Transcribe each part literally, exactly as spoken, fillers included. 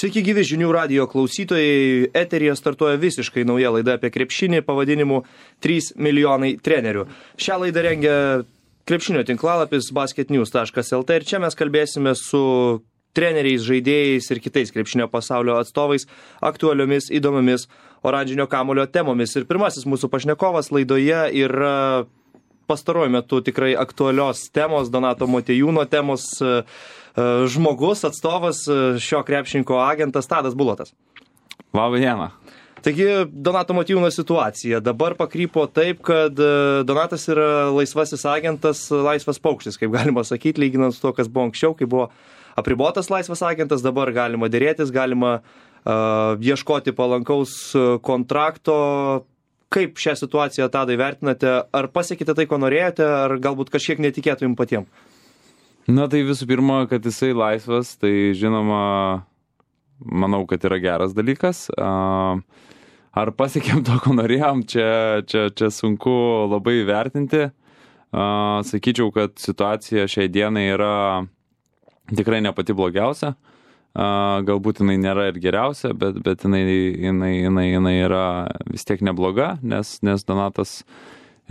Sveiki gyvi žinių radijo klausytojai, eteryje startuoja visiškai nauja laida apie krepšinį pavadinimu trys milijonai trenerių. Šią laidą rengia krepšinio tinklalapis basketnews taškas lt ir čia mes kalbėsime su treneriais, žaidėjais ir kitais krepšinio pasaulio atstovais aktualiomis, įdomomis oranžinio kamuolio temomis. Ir pirmasis mūsų pašnekovas laidoje yra pastaruoju metu tikrai aktualios temos, Donato Motiejūno temos žmogus, atstovas, šio krepšininko agentas Tadas Bulotas. Labą dieną. Taigi, Donato Motiejūno situacija dabar pakrypo taip, kad Donatas yra laisvasis agentas, laisvas paukštis, kaip galima sakyti, lyginant su to, kas buvo anksčiau, kai buvo apribotas laisvas agentas, dabar galima dėrėtis, galima uh, ieškoti palankaus kontrakto. Kaip šią situaciją, Tadai, vertinate? Ar pasiekite tai, ko norėjote, ar galbūt kažkiek netikėtų jums patiems? Na tai visų pirma, kad jisai laisvas, tai žinoma, manau, kad yra geras dalykas. Ar pasiekėm to, ko norėjom, čia, čia, čia sunku labai vertinti. Sakyčiau, kad situacija šiai dienai yra tikrai ne pati blogiausia. Galbūt jinai nėra ir geriausia, bet, bet jinai, jinai, jinai, jinai yra vis tiek nebloga, nes, nes Donatas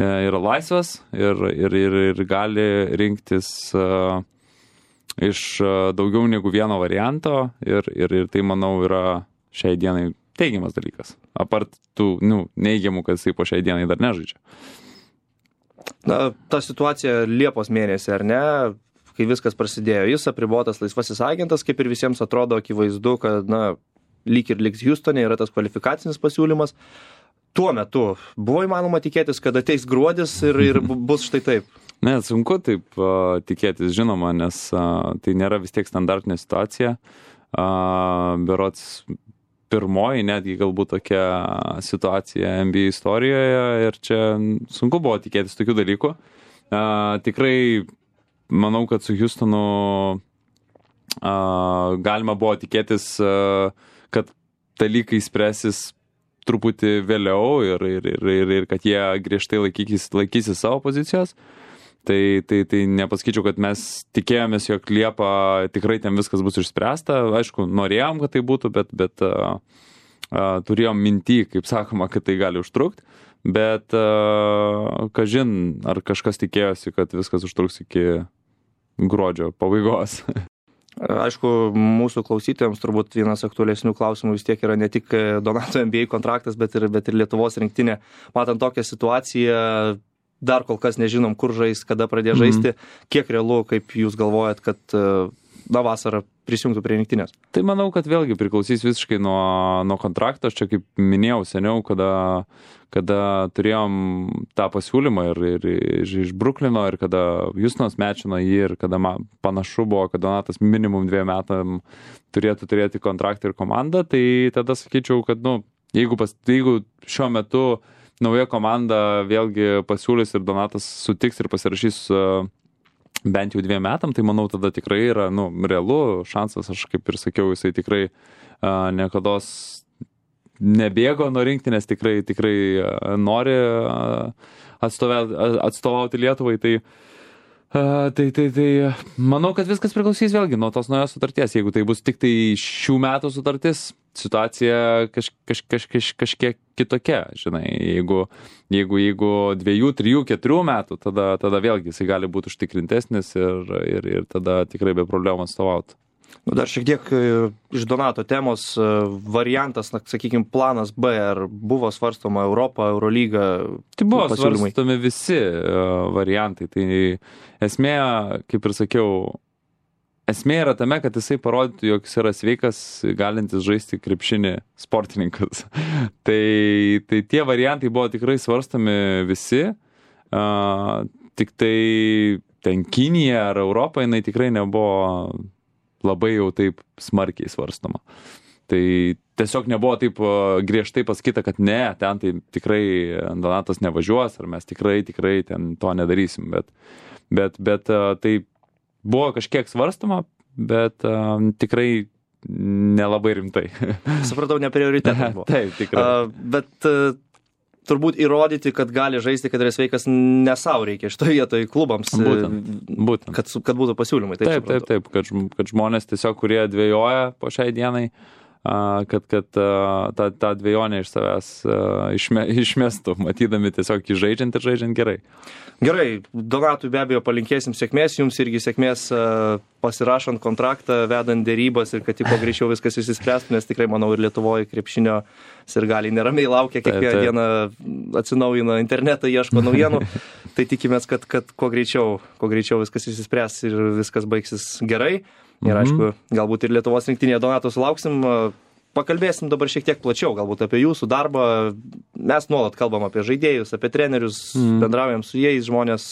yra laisvas ir, ir, ir, ir gali rinktis uh, iš uh, daugiau negu vieno varianto ir, ir, ir tai, manau, yra šiai dienai teigiamas dalykas. Apart tų nu, neigiamų, kad jisai po šiai dienai dar nežaidžia. Na, ta situacija Liepos mėnesį, ar ne? Kai viskas prasidėjo, jis apribotas laisvasis agentas, kaip ir visiems atrodo akivaizdu, kad na, lyg ir liks Hjustone, yra tas kvalifikacinis pasiūlymas. Tuo metu buvo įmanoma tikėtis, kad ateis gruodis ir, ir bus štai taip? Ne, sunku taip uh, tikėtis, žinoma, nes uh, tai nėra vis tiek standartinė situacija. Uh, berods pirmoji, netgi galbūt tokia situacija N B A istorijoje ir čia sunku buvo tikėtis tokių dalykų. Uh, tikrai manau, kad su Hjustonu uh, galima buvo tikėtis, uh, kad dalykai spręsis truputį vėliau ir, ir, ir, ir, ir kad jie griežtai laikykis, laikysi savo pozicijos. Tai, tai, tai nepasakyčiau, kad mes tikėjomės, jog Liepą tikrai ten viskas bus išspręsta. Aišku, norėjom, kad tai būtų, bet, bet uh, uh, turėjom mintį, kaip sakoma, kad tai gali užtrukti. Bet, uh, kažin, ar kažkas tikėjosi, kad viskas užtruks iki gruodžio pabaigos. Aišku, mūsų klausytojams turbūt vienas aktualesnių klausimų vis tiek yra ne tik Donato N B A kontraktas, bet ir, bet ir Lietuvos rinktinė. Matant tokią situaciją, dar kol kas nežinom, kur žais, kada pradės žaisti. Mm. Kiek realu, kaip jūs galvojat, kad na, vasarą prisijungtų prie rinktinės? Tai manau, kad vėlgi priklausys visiškai nuo, nuo kontrakto. Aš čia, kaip minėjau seniau, kada, kada turėjom tą pasiūlymą ir, ir, ir iš Bruklino, ir kada Hjustonas mečino jį, ir kada man panašu buvo, kad Donatas minimum dviem metam turėtų turėti kontraktą ir komandą, tai tada sakyčiau, kad nu, jeigu, pas, jeigu šiuo metu nauja komanda vėlgi pasiūlys ir Donatas sutiks ir pasirašys uh, bent jau dviem metam, tai manau tada tikrai yra nu, realu šansas, aš kaip ir sakiau, jisai tikrai uh, niekados nebėgo nuo rinktinės, tikrai, tikrai uh, nori uh, atstovauti, atstovauti Lietuvai, tai, uh, tai, tai, tai manau, kad viskas priklausys vėlgi nuo tos naujos sutarties. Jeigu tai bus tik tai šių metų sutartis, situacija kaž, kaž, kaž, kaž, kažkiek kitokia, žinai, jeigu, jeigu, jeigu dviejų, trijų, keturių metų, tada, tada vėlgi jisai gali būti užtikrintesnis ir, ir, ir tada tikrai be problemų atstovauti. Nu, dar šiek tiek iš Donato temos variantas, na, sakykime, planas B, ar buvo svarstoma Europa, Eurolyga? Tai buvo pasiūlymai. Svarstomi visi uh, variantai, tai esmė, kaip ir sakiau, esmė yra tame, kad jisai parodytų, jog jis yra sveikas, galintis žaisti krepšinį sportininkas. tai, tai tie variantai buvo tikrai svarstomi visi, uh, tik tai ten Kinija ar Europa, jinai tikrai nebuvo labai jau taip smarkiai svarstoma. Tai tiesiog nebuvo taip uh, griežtai pasakyta, kad ne, ten tai tikrai Donatas nevažiuos, ar mes tikrai, tikrai ten to nedarysim, bet, bet, bet uh, tai buvo kažkiek svarstama, bet uh, tikrai nelabai rimtai. Supratau, ne prioritetas buvo. Taip, tikrai. Uh, bet uh, turbūt įrodyti, kad gali žaisti, kad yra sveikas, ne savo reikia šitoje vietoje klubams, būtent, būtent. Kad, kad būtų pasiūlymai. Taip, taip, taip, taip kad, kad žmonės tiesiog, kurie dvejoja po šiai dienai, kad, kad tą, tą dvejonę iš savęs išme, išmestų, matydami tiesiog jį žaidžiant ir žaidžiant gerai. Gerai, Donatui be abejo palinkėsim sėkmės, jums irgi sėkmės pasirašant kontraktą, vedant dėrybas ir kad tik kuo greičiau viskas išsispręstų, nes tikrai, manau, ir Lietuvoje krepšinio sirgaliai neramiai laukia, kiekvieną dieną atsinaujina internetą, ieško naujienų, tai tikimės, kad, kad kuo greičiau, kuo greičiau viskas išsispręs ir viskas baigsis gerai. Ir aišku, galbūt ir Lietuvos rinktinėje Donato sulauksim. Pakalbėsim dabar šiek tiek plačiau, galbūt apie jūsų darbą. Mes nuolat kalbam apie žaidėjus, apie trenerius, mm. bendraujam su jais, žmonės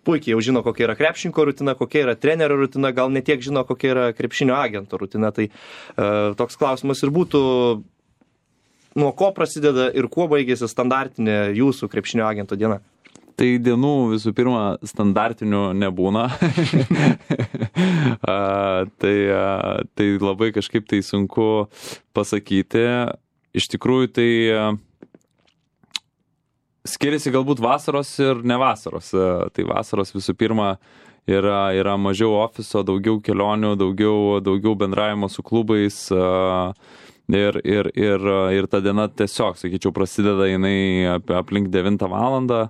puikiai jau žino, kokia yra krepšinko rutina, kokia yra trenerio rutina, gal ne tiek žino, kokia yra krepšinio agento rutina. Tai uh, toks klausimas ir būtų, nuo ko prasideda ir kuo baigėsi standartinė jūsų krepšinio agento diena? Tai dienų visų pirma standartinių nebūna. a, tai, a, tai labai kažkaip tai sunku pasakyti. Iš tikrųjų tai a, skiriasi galbūt vasaros ir ne vasaros. A, tai vasaros visų pirma yra, yra mažiau ofiso, daugiau kelionių, daugiau, daugiau bendravimo su klubais. A, ir, ir, ir, ir ta diena tiesiog, sakyčiau, prasideda jinai aplink devintą valandą.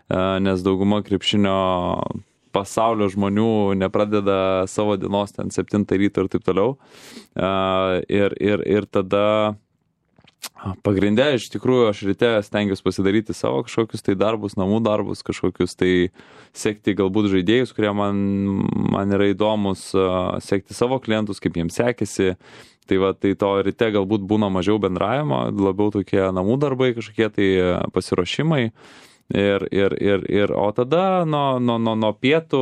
Nes dauguma krepšinio pasaulio žmonių nepradeda savo dienos ten septintą ryto ir taip toliau. Ir, ir, ir tada pagrinde, iš tikrųjų, aš ryte stengiuosi pasidaryti savo kažkokius tai darbus, namų darbus, kažkokius tai sekti galbūt žaidėjus, kurie man, man yra įdomus, sekti savo klientus, kaip jiems sekėsi. Tai va, tai to ryte galbūt būna mažiau bendravimo, labiau tokie namų darbai, kažkokie tai pasiruošimai. Ir, ir, ir, ir, o tada nuo, nuo, nuo, nuo pietų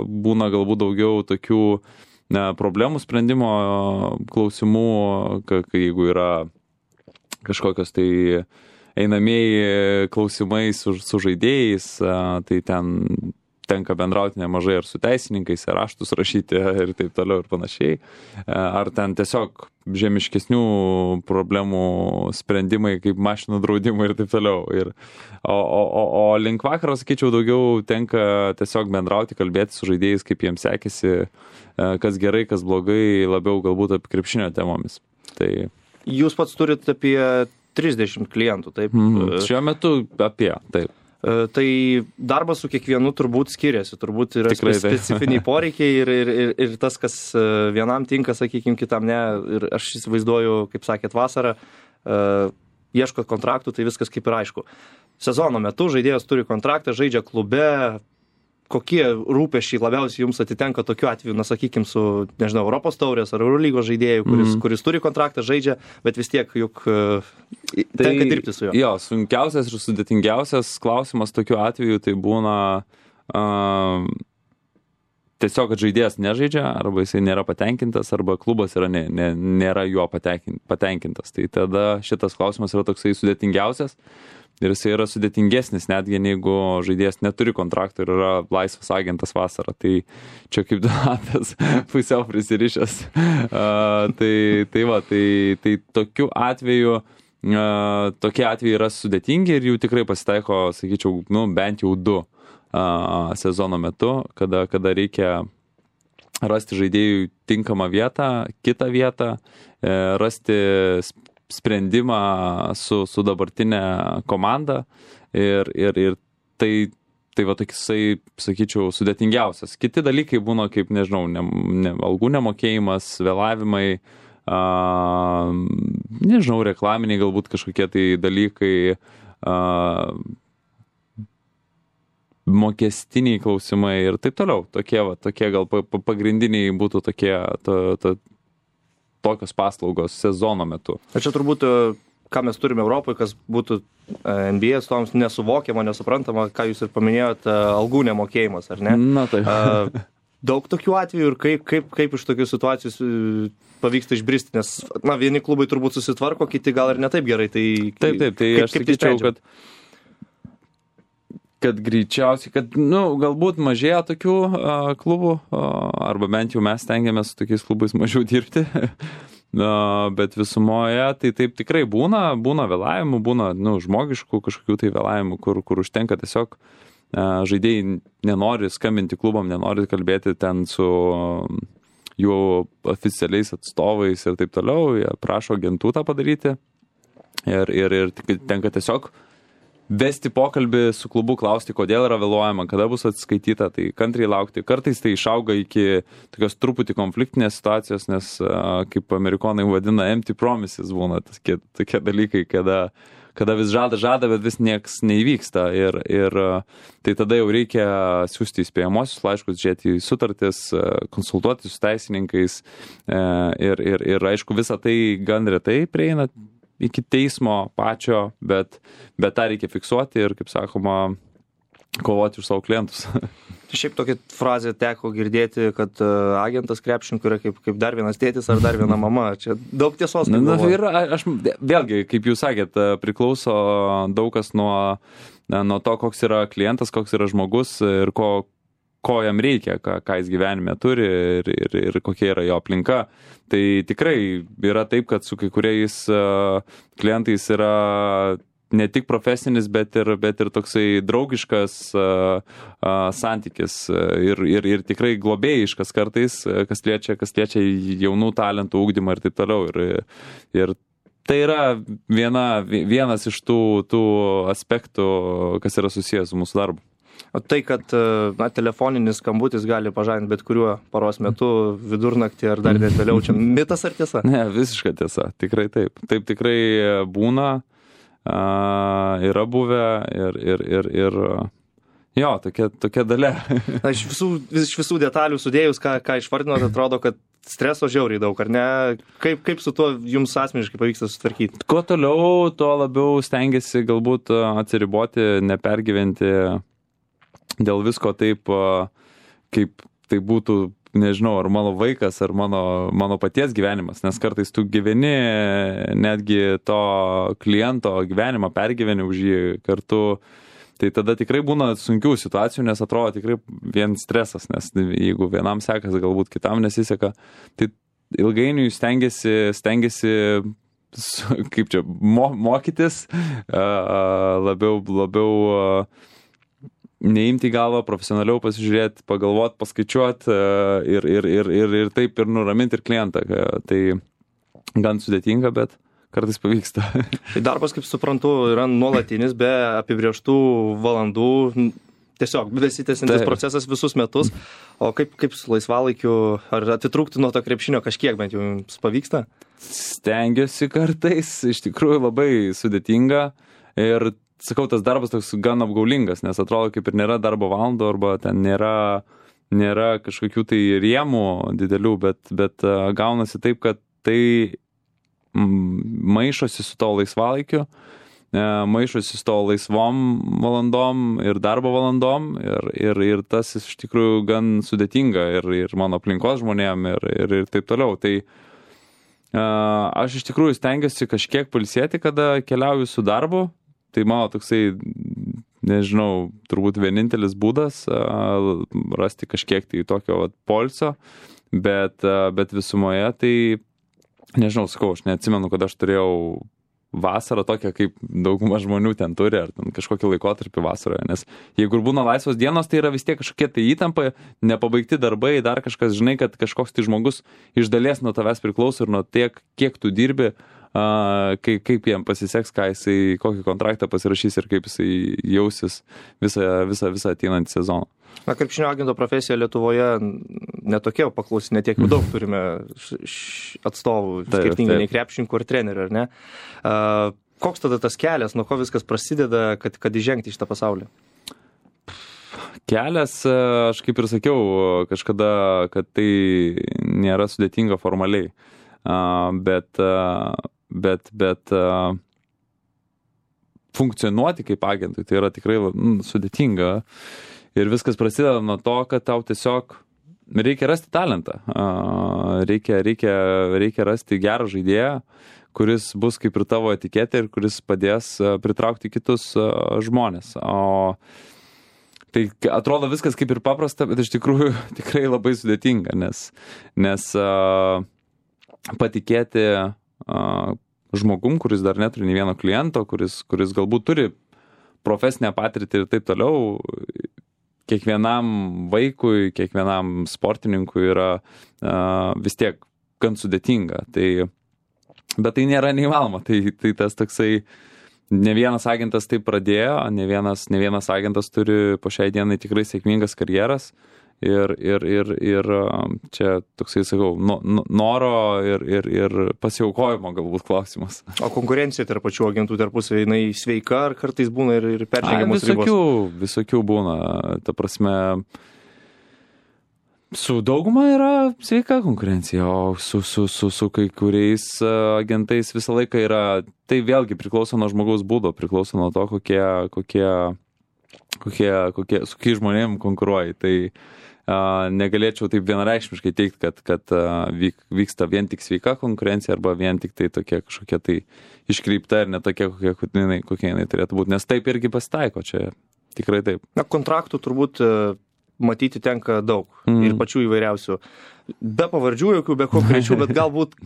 būna galbūt daugiau tokių ne, problemų sprendimo klausimų, kai, jeigu yra kažkokios tai einamieji klausimai su, su žaidėjais, tai ten tenka bendrauti nemažai ir su teisininkais, ir raštus rašyti ir taip toliau ir panašiai. Ar ten tiesiog žemiškesnių problemų sprendimai, kaip mašinų draudimai ir taip toliau. Ir, o, o, o link vakaro, sakyčiau, daugiau tenka tiesiog bendrauti, kalbėti su žaidėjais, kaip jiems sekėsi, kas gerai, kas blogai, labiau galbūt apie krepšinio temomis. Tai... Jūs pats turit apie trisdešimt klientų, taip? Mm, šiuo metu apie, taip. Tai darbas su kiekvienu turbūt skiriasi, turbūt yra Tikrai, specifiniai poreikiai ir, ir, ir, ir tas, kas vienam tinka, sakykime, kitam ne. Ir aš įsivaizduoju, kaip sakėt, vasarą, uh, ieškot kontraktų, tai viskas kaip ir aišku. Sezono metu žaidėjas turi kontraktą, žaidžia klube. Kokie rūpesčiai labiausiai jums atitenka tokiu atveju, na, sakykime, su, nežinau, Europos taurės ar Eurolygos žaidėjų, kuris, mm. kuris turi kontraktą, žaidžia, bet vis tiek juk uh, tenka tai, dirbti su juo. Jo, sunkiausias ir sudėtingiausias klausimas tokiu atveju tai būna uh, tiesiog, kad žaidėjas nežaidžia, arba jisai nėra patenkintas, arba klubas yra ne, ne, nėra juo patenkintas. Tai tada šitas klausimas yra toksai sudėtingiausias. Ir jis yra sudėtingesnis, netgi jeigu žaidėjas neturi kontrakto ir yra laisvas agentas vasarą. Tai čia kaip Donatas pusiau prisirišęs. Uh, tai, tai va, tai, tai tokiu atveju, uh, tokie atvejai yra sudėtingi ir jų tikrai pasitaiko, sakyčiau, nu, bent jau du uh, sezono metu, kada, kada reikia rasti žaidėjui tinkamą vietą, kitą vietą, uh, rasti sprendimą su, su dabartinė komanda ir, ir, ir tai, tai va toksai, sakyčiau, sudėtingiausias. Kiti dalykai būna kaip, nežinau, ne, ne, algų nemokėjimas, vėlavimai, a, nežinau, reklaminiai galbūt kažkokie tai dalykai, a, mokestiniai klausimai ir taip toliau. Tokie, va, tokie gal pagrindiniai būtų tokie, to, to, tokios paslaugos sezono metu. O čia turbūt, ką mes turime Europoje, kas būtų N B A atstovams nesuvokiama, nesuprantama, ką jūs ir paminėjot, algų nemokėjimas, ar ne? Na taip. Daug tokių atvejų ir kaip, kaip, kaip iš tokių situacijų pavyksta išbristi, nes, na, vieni klubai turbūt susitvarko, kiti gal ir ne taip gerai. Tai, taip, taip, tai kaip, aš sakyčiau, kad kad greičiausiai, kad, nu, galbūt mažėja tokių uh, klubų, uh, arba bent jau mes stengiamės su tokiais klubais mažiau dirbti, bet visumoje tai taip tikrai būna, būna vėlavimų, būna nu, žmogiškų kažkokių tai vėlavimų, kur, kur užtenka tiesiog žaidėjai nenori skambinti klubam, nenori kalbėti ten su jų oficialiais atstovais ir taip toliau, jie prašo agentų tą padaryti ir, ir, ir tenka tiesiog vesti pokalbį su klubu, klausti, kodėl yra vėluojama, kada bus atskaityta, tai kantriai laukti. Kartais tai išauga iki tokios truputį konfliktinės situacijos, nes kaip amerikonai vadina empty promises būna tokie, tokie dalykai, kada, kada vis žada, žada, bet vis nieks neįvyksta ir, ir tai tada jau reikia siūsti įspėjamosius laiškus, žiūrėti į sutartis, konsultuoti su teisininkais ir, ir, ir aišku visą tai gan retai prieina iki teismo pačio, bet, bet tą reikia fiksuoti ir, kaip sakoma, kovoti už savo klientus. Šiaip tokia frazė teko girdėti, kad agentas krepšininkų yra kaip, kaip dar vienas tėtis ar dar viena mama. Čia daug tiesos. Na, na, ir aš, vėlgi, kaip jūs sakėt, priklauso daug kas nuo, nuo to, koks yra klientas, koks yra žmogus ir ko, ko jam reikia, ką, ką jis gyvenime turi ir, ir, ir kokia yra jo aplinka. Tai tikrai yra taip, kad su kai kuriais uh, klientais yra ne tik profesinis, bet ir, bet ir toksai draugiškas uh, uh, santykis ir, ir, ir tikrai globėjiškas kartais, kas liečia, kas liečia jaunų talentų ūkdymą ir taip toliau. Ir, ir tai yra viena, vienas iš tų, tų aspektų, kas yra susijęs su mūsų darbu. O tai, kad na, telefoninis skambutis gali pažadinti bet kuriuo paros metu, vidurnaktį ar dar net vėliau, čia mitas ar tiesa? Ne, visiška tiesa, tikrai taip. Taip tikrai būna, a, yra buvę ir, ir, ir, ir jo, tokia, tokia dalia. Na, iš, visų, iš visų detalių sudėjus, ką, ką išvardinot, atrodo, kad streso žiauriai daug, ar ne? Kaip, kaip su tuo jums asmeniškai pavyksta sutvarkyti? Kuo toliau, tuo labiau stengiasi galbūt atsiriboti, nepergyventi dėl visko taip, kaip tai būtų, nežinau, ar mano vaikas, ar mano, mano paties gyvenimas, nes kartais tu gyveni netgi to kliento gyvenimą, pergyveni už jį kartu, tai tada tikrai būna sunkių situacijų, nes atrodo tikrai vien stresas, nes jeigu vienam sekas, galbūt kitam nesiseka, tai ilgainiui stengiasi, stengiasi kaip čia, mo, mokytis, labiau, labiau neimti galvą, profesionaliau pasižiūrėti, pagalvoti, paskaičiuoti ir, ir, ir, ir, ir taip ir nuraminti ir klientą. Tai gan sudėtinga, bet kartais pavyksta. Tai darbas, kaip suprantu, yra nuolatinis, be apibrėžtų valandų, tiesiog besitęsiantis procesas visus metus. O kaip, kaip su laisvalaikiu, ar atitrūkti nuo to krepšinio kažkiek, bent jau jums pavyksta? Stengiuosi kartais, iš tikrųjų labai sudėtinga ir sakau, tas darbas toks gan apgaulingas, nes atrodo, kaip ir nėra darbo valandų, arba ten nėra, nėra kažkokių tai rėmų didelių, bet, bet uh, gaunasi taip, kad tai maišosi su to laisvalaikiu, uh, maišosi su to laisvom valandom ir darbo valandom ir, ir, ir tas iš tikrųjų gan sudėtinga ir, ir mano aplinkos žmonėm ir, ir, ir taip toliau. Tai uh, aš iš tikrųjų stengiuosi kažkiek pailsėti, kada keliauju su darbu. Tai mano toksai, nežinau, turbūt vienintelis būdas uh, rasti kažkiek tai tokio vat, poilsio, bet, uh, bet visumoje tai, nežinau, sakau, aš neatsimenu, kad aš turėjau vasarą tokią, kaip dauguma žmonių ten turi, ar ten kažkokį laikotarpį vasaroje, nes jeigu būna laisvos dienos, tai yra vis tiek kažkokie tai įtampai, nepabaigti darbai, dar kažkas, žinai, kad kažkoks tai žmogus iš dalies nuo tavęs priklauso ir nuo tiek, kiek tu dirbi, Uh, kaip, kaip jam pasiseks, ką jisai, kokį kontraktą pasirašys ir kaip jisai jausis visą, visą, visą ateinantį sezoną. Na, krepšinio agento profesija Lietuvoje netokia paklausi, netiek jau daug turime atstovų, taip, skirtingai taip. Nei krepšininkų ar trenerių, ar ne? Uh, koks tada tas kelias, nuo ko viskas prasideda, kad, kad įžengti į šitą pasaulį? Kelias, aš kaip ir sakiau kažkada, kad tai nėra sudėtinga formaliai, uh, bet uh, bet, bet uh, funkcionuoti kaip agentui, tai yra tikrai mm, sudėtinga ir viskas prasideda nuo to, kad tau tiesiog reikia rasti talentą, uh, reikia, reikia, reikia rasti gerą žaidėją, kuris bus kaip ir tavo etiketė ir kuris padės uh, pritraukti kitus uh, žmonės. O tai atrodo viskas kaip ir paprasta, bet iš tikrųjų tikrai labai sudėtinga, nes, nes uh, patikėti uh, žmogum, kuris dar neturi nei vieno kliento, kuris, kuris galbūt turi profesinę patirtį ir taip toliau. Kiekvienam vaikui, kiekvienam sportininkui yra uh, vis tiek gan sudėtinga. Tai, bet tai nėra neįmanoma. Tai, tai tas toksai, ne vienas agentas taip pradėjo, ne vienas, ne vienas agentas turi po šiai dienai tikrai sėkmingas karjeras. Ir, ir, ir, ir čia toksai, sakau, no, noro ir, ir, ir pasiaukojimo galbūt klausimas. O konkurencija tarp pačių agentų tarpusavy, jinai sveika ar kartais būna ir, ir peržengiamos ribos? Visokių, visokių būna. Ta prasme, su dauguma yra sveika konkurencija, o su, su, su, su kai kuriais agentais visą laiką yra, tai vėlgi priklauso nuo žmogaus būdo, priklauso nuo to, kokie, kokie, kokie, kokie su kai žmonėm konkuruoji. Tai Uh, negalėčiau taip vienareikšmiškai teikti, kad, kad uh, vyk, vyksta vien tik sveika konkurencija arba vien tik tai tokia kažkokia tai iškreipta ir netokia, kokia, kokia, kokia jinai turėtų būti. Nes taip irgi pasitaiko, čia tikrai taip. Na, kontraktų turbūt uh, matyti tenka daug mm. ir pačių įvairiausių. Be pavardžių jokių, be konkrečių, bet galbūt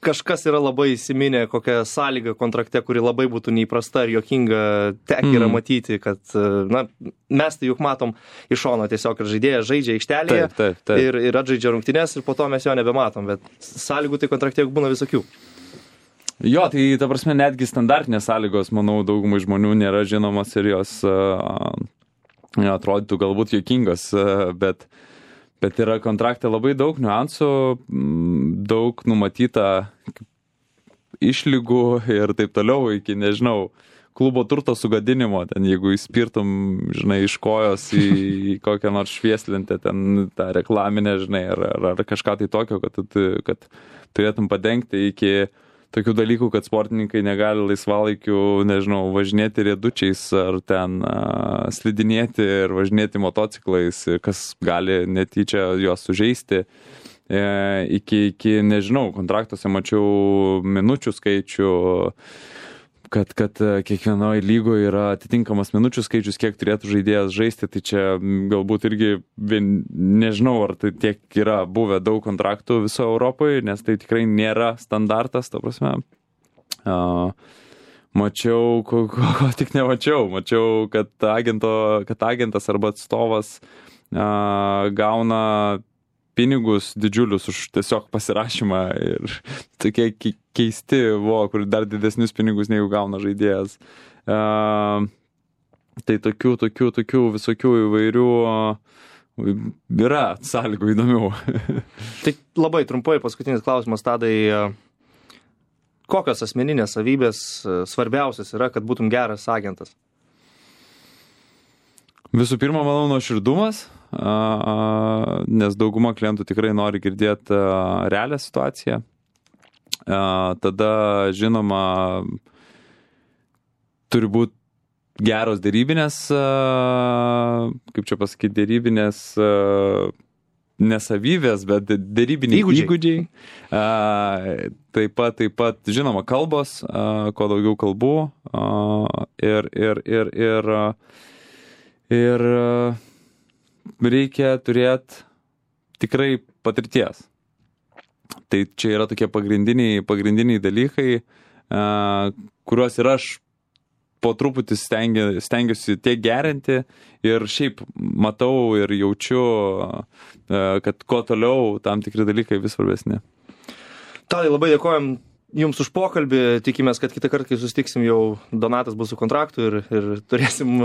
kažkas yra labai įsiminę, kokią sąlygą kontrakte, kuri labai būtų neįprasta ir jokinga, tek yra mm. matyti, kad, na, mes tai juk matom iš šono tiesiog, kad žaidėjas žaidžia aikštelėje taip, taip, taip. Ir, ir atžaidžia rungtynes ir po to mes jo nebematom, bet sąlygų tai kontrakte juk būna visokių. Jo, tai ta prasme netgi standartinės sąlygos, manau, daugumai žmonių nėra žinomas ir jos uh, atrodytų galbūt jokingos, uh, bet Bet yra kontrakte labai daug niuansų, daug numatyta išlygų ir taip toliau iki, nežinau, klubo turto sugadinimo, ten jeigu įspirtum, žinai, iš kojos į, į kokią nors švieslentę, ten tą reklaminę, žinai, ar, ar, ar kažką tai tokio, kad, kad turėtum padengti iki tokių dalykų, kad sportininkai negali laisvalaikiu, nežinau, važinėti riedučiais ar ten a, slidinėti ir važinėti motociklais, kas gali netyčia juos sužeisti. E, iki, iki, nežinau, kontraktuose mačiau minučių skaičių, kad, kad kiekvienoje lygoje yra atitinkamas minučių skaičius, kiek turėtų žaidėjas žaisti, tai čia galbūt irgi, nežinau, ar tai tiek yra buvę daug kontraktų viso Europoje, nes tai tikrai nėra standartas, ta prasme. Uh, mačiau, ko, ko, ko tik nemačiau, mačiau, kad, agento, kad agentas arba atstovas uh, gauna pinigus didžiulius už tiesiog pasirašymą ir tokie keisti, buvo, kur dar didesnius pinigus negu gauna žaidėjas. Uh, tai tokių, tokių, tokių visokių įvairių uh, yra sąlygų įdomių. Tai labai trumpai paskutinis klausimas, Tadai. Kokios asmeninės savybės svarbiausias yra, kad būtum geras agentas? Visų pirma, manau, nuoširdumas, nes dauguma klientų tikrai nori girdėti realią situaciją. Tada, žinoma, turi būti geros dėrybinės, kaip čia pasakyti, dėrybinės nesavybės, bet dėrybiniai įgūdžiai. įgūdžiai. Taip pat, taip pat, žinoma, kalbos, kuo daugiau kalbų ir, ir, ir, ir Ir reikia turėti tikrai patirties. Tai čia yra tokie pagrindiniai, pagrindiniai dalykai, kuriuos ir aš po truputį stengia, stengiuosi tiek gerinti ir šiaip matau ir jaučiu, kad kuo toliau tam tikri dalykai vis svarbesni. Tadai, labai dėkojam Jums už pokalbį, tikimės, kad kitą kartą, kai susitiksim, jau Donatas bus su kontraktu ir, ir turėsim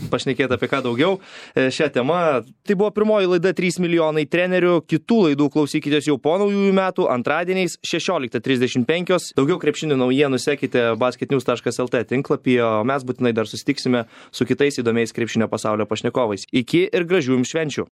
pašnekėti apie ką daugiau šią temą. Tai buvo pirmoji laida trys milijonai trenerių, kitų laidų klausykitės jau po naujųjų metų, antradieniais šešioliktą trisdešimt penkios. Daugiau krepšinio naujienų sekite basketnews taškas lt tinklapyje, o mes būtinai dar susitiksime su kitais įdomiais krepšinio pasaulio pašnekovais. Iki ir gražių jums švenčių.